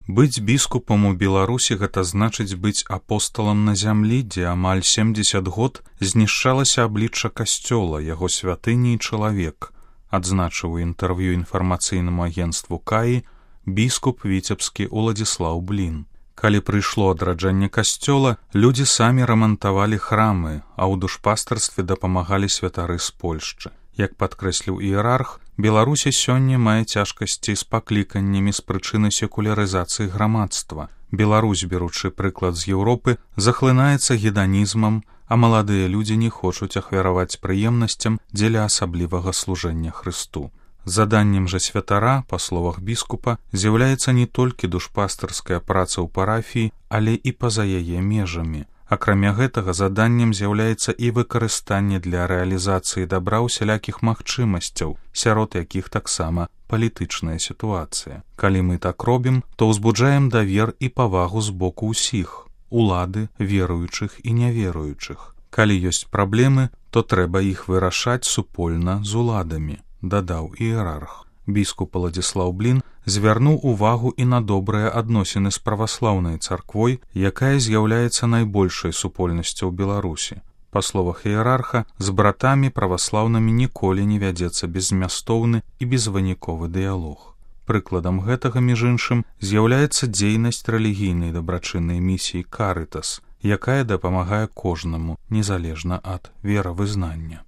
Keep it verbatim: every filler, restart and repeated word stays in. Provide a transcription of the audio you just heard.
Быць біскупам у Беларусі гэта значыць быць апосталам на зямлі, дзе амаль семдзесят год знішчалася аблічча касцёла, яго святыні і чалавек, адзначыў у інтэрв'ю інфармацыйнаму агенцтву КАІ біскуп віцебскі Уладзіслаў Блін. Калі прыйшло адраджэнне касцёла, людзі самі рамантавалі храмы, а ў душпастарстве дапамагалі святары з Польшчы. Як падкрэсліў іерарх, Беларусі сёння мае цяжкасці з пакліканнямі з прычыны секулярызацыі грамадства. Беларусь, беручы прыклад з Еўропы, захлынаецца геданізмам, а маладыя людзі не хочуць ахвяраваць прыемнасцям дзеля асаблівага служэння Хрысту. Заданнем жа святара, па словах біскупа, з'яўляецца не толькі душпастарская праца ў парафіі, але і па-за яе межамі. Акрамя гэтага, заданнем з'яўляецца і выкарыстанне для рэалізацыі дабра ўсялякіх магчымасцяў, сярод якіх таксама палітычная сітуацыя. Калі мы так робім, то ўзбуджаем давер і павагу з боку ўсіх – улады, веруючых і няверуючых. Калі ёсць праблемы, то трэба іх вырашаць супольна з уладамі, дадаў іерарх. Біскуп Уладзіслаў Блін звярнуў увагу і на добрыя адносіны з праваслаўнай царквой, якая з'яўляецца найбольшай супольнасцю ў Беларусі. Па словах іерарха, з братамі праваслаўнымі ніколі не вядзецца беззмястоўны і безвыніковы дыялог. Прыкладам гэтага, між іншым, з'яўляецца дзейнасць рэлігійнай дабрачыннай місіі «Карытас», якая дапамагае кожнаму, незалежна ад веравызнання.